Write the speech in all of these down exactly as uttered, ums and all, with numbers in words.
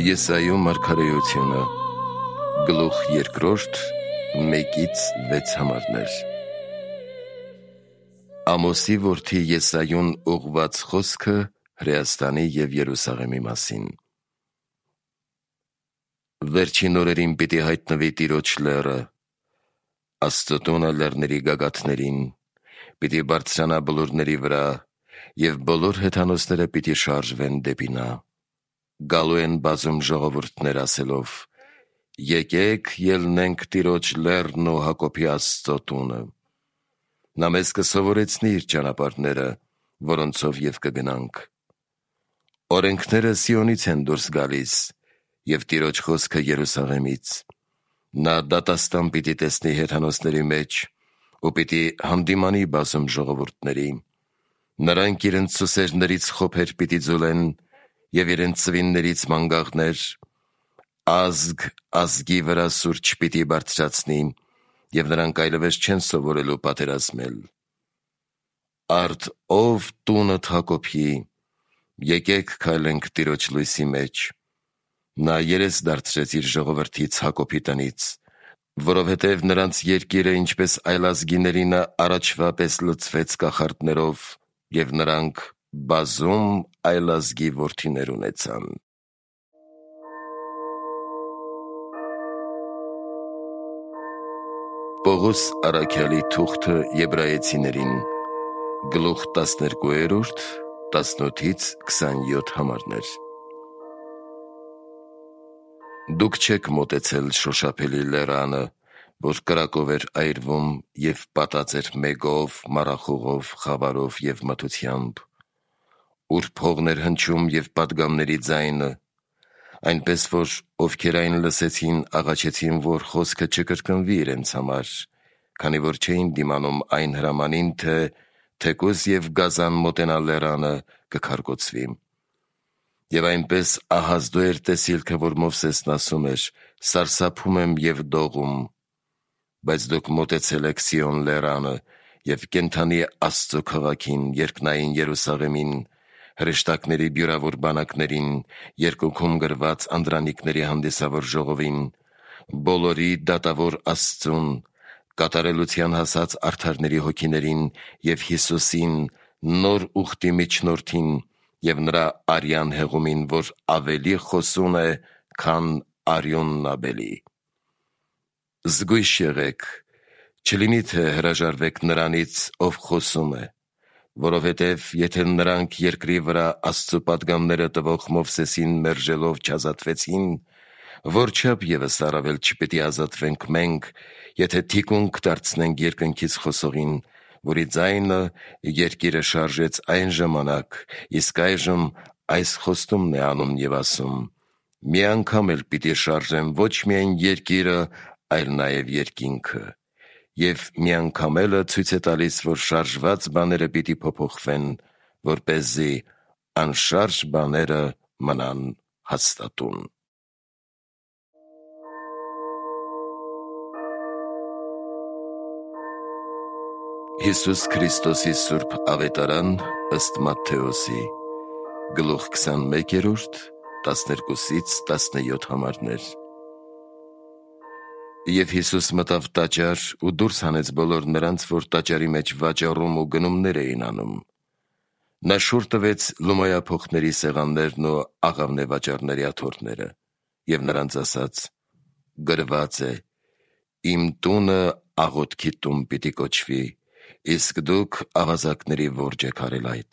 Եսայու մարգարեությունը, գլուխ երկրորդ, մեկից վեց համարներ։ Ամոսի որդի Եսայուն ուղղված խոսքը Հրեաստանի և Երուսաղեմի մասին։ Վերջին օրերին պիտի հայտնվի Տիրոջ լեռը, Աստծո տունը լեռների գագաթներին, պիտի բարձրանա բլուրների վրա, և բոլոր հեթանոսները պիտի շարժվեն դեպի նա։ Գալու են բազում ժողովուրդներ ասելով. «Եկեք ելնենք Տիրոջ լեռն ու Հակոբի Աստծո տունը։ Նա մեզ կսովորեցնի իր ճանապարհները, որոնցով և կգնանք։ Օրենքները Սիոնից են դուրս գալիս, և Տիրոջ խոսքը Երուսաղեմից։ Նա դատաստան պիտի տեսնի հեթանոսների մեջ ու պիտի հանդիմանի բազում ժողովուրդների։ Նրանք իրենց սուսերներից խոփեր պիտի ձուլեն և իրենց ծվիններից մանգաղներ, ազգ ազգի վրա սուրճ պիտի բարձրացնի, և նրանք այլևս չեն սովորելու պատերազմել։ Արդ ով տունդ Հակոբի, եկեք քայլենք Տիրոջ լույսի մեջ։ Նա երես դարձրեց իր ժողովրդից Հակոբի տնից, որովհետև նրանց երկիրը ինչպես այլազգիներինը առաջվա պես լցվեց կախարդներով, և նրանք բազում այլազգի որդիներ ունեցան»։ Պողոս առաքյալի թուղթը Եբրայեցիներին, գլուխ տասներկուերորդ, տասնութից քսանյոթ համարներ։ Դուք չեք մոտեցել շոշափելի լեռանը, որ կրակով էր այրվում և պատած էր մեգով, մառախուղով, խավարով և մթությամբ, ուր փողն էր հնչում և պատգամների ձայնը, այնպես որ ովքեր այն լսեցին, աղաչեցին, որ խոսքը չկրկնվի իրենց համար, քանի որ չէին դիմանում այն հրամանին, թե թեկուզ և գազան մոտենա լեռանը, կքարկոծվի։ Եվ այնպես ահազդու էր տեսիլքը, որ Մովսեսն ասում էր. «Սարսափում եմ և դողում»։ Բայց դուք մոտեցել եք Սիոն լեռանը և կենդանի Աստծո քաղաքին, երկնային Երուսաղեմին, հրեշտակների բյուրավոր բանակներին, երկնքում գրված անդրանիկների հանդիսավոր ժողովին, բոլորի դատավոր Աստծուն, կատարելության հասած արդարների հոգիներին և Հիսուսին, նոր ուխտի միջնորդին, և նրա արյան հեղումին, որ ավելի խոսուն է, քան արյունն Աբելի։ Զգույշ եղեք, չլինի թե հրաժարվեք նրանից, ով խոսում է, որովհետև եթե նրանք երկրի վրա Աստծո պատգամները տվող Մովսեսին մերժելով չազատվեցին, որչափ ևս առավել չպիտի ազատվենք մենք, եթե թիկունք դարձնենք երկնքից խոսողին, որի ձայնը երկիրը շարժեց այն ժամանակ, իսկ այժմ այս խոստումն է անում և ասում. «Մի անգամ էլ պիտի շարժեմ ոչ միայն երկիրը, այլ նաև երկինքը»։ Եվ մի անգամ էլը ցույց է տալիս, որ շարժված բաները պիտի փոփոխվեն, որպեսզի անշարժ բաները մնան հաստատուն։ Հիսուս Քրիստոսի սուրբ ավետարան ըստ Մատթեոսի, գլուխ քսանմեկերորդ, տասներկուսից տասնյոթ համարներ։ Եվ Հիսուս մտավ տաճար ու դուրս հանեց բոլոր նրանց, որ տաճարի մեջ վաճառում ու գնումներ էին անում։ Նա շուռ տվեց լումայափոխների սեղաններն ու աղավնե-վաճառների աթոռները և նրանց ասաց. «Գրված է. «Իմ տունը աղոթքի տուն պիտի կոչվի», իսկ դուք աղազակների որջն եք արել այդ»։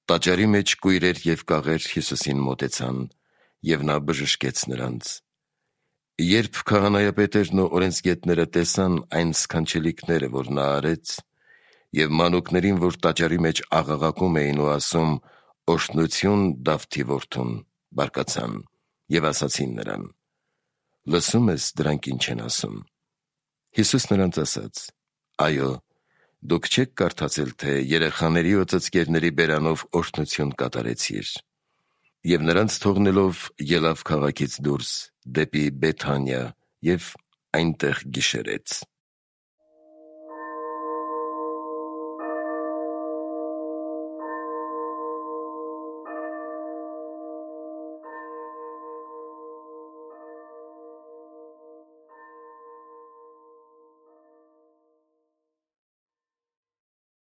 Տաճարի մեջ կույրեր և կաղեր Հիսուսին մոտեցան, և նա բժշկեց նրանց։ Երբ քահանայապետերն ու օրենսգետները տեսան այն սքանչելիքները, որ նա արեց, և մանուկներին, որ տաճարի մեջ աղաղակում էին ու ասում. «Օրհնություն Դավթի որդուն», բարկացան և ասացին նրան. «Լսո՞ւմ ես դրանք ինչ են ասում»։ Հիսուս նրանց ասաց. «Այո, դուք չե՞ք կարդացել, թե երեխաների ու ծծկերների բերանով օրհնություն կատարեցիր»։ Եվ նրանց թողնելով ելավ քաղաքից դուրս, դեպի Բեթանիա և այնտեղ գիշերեց։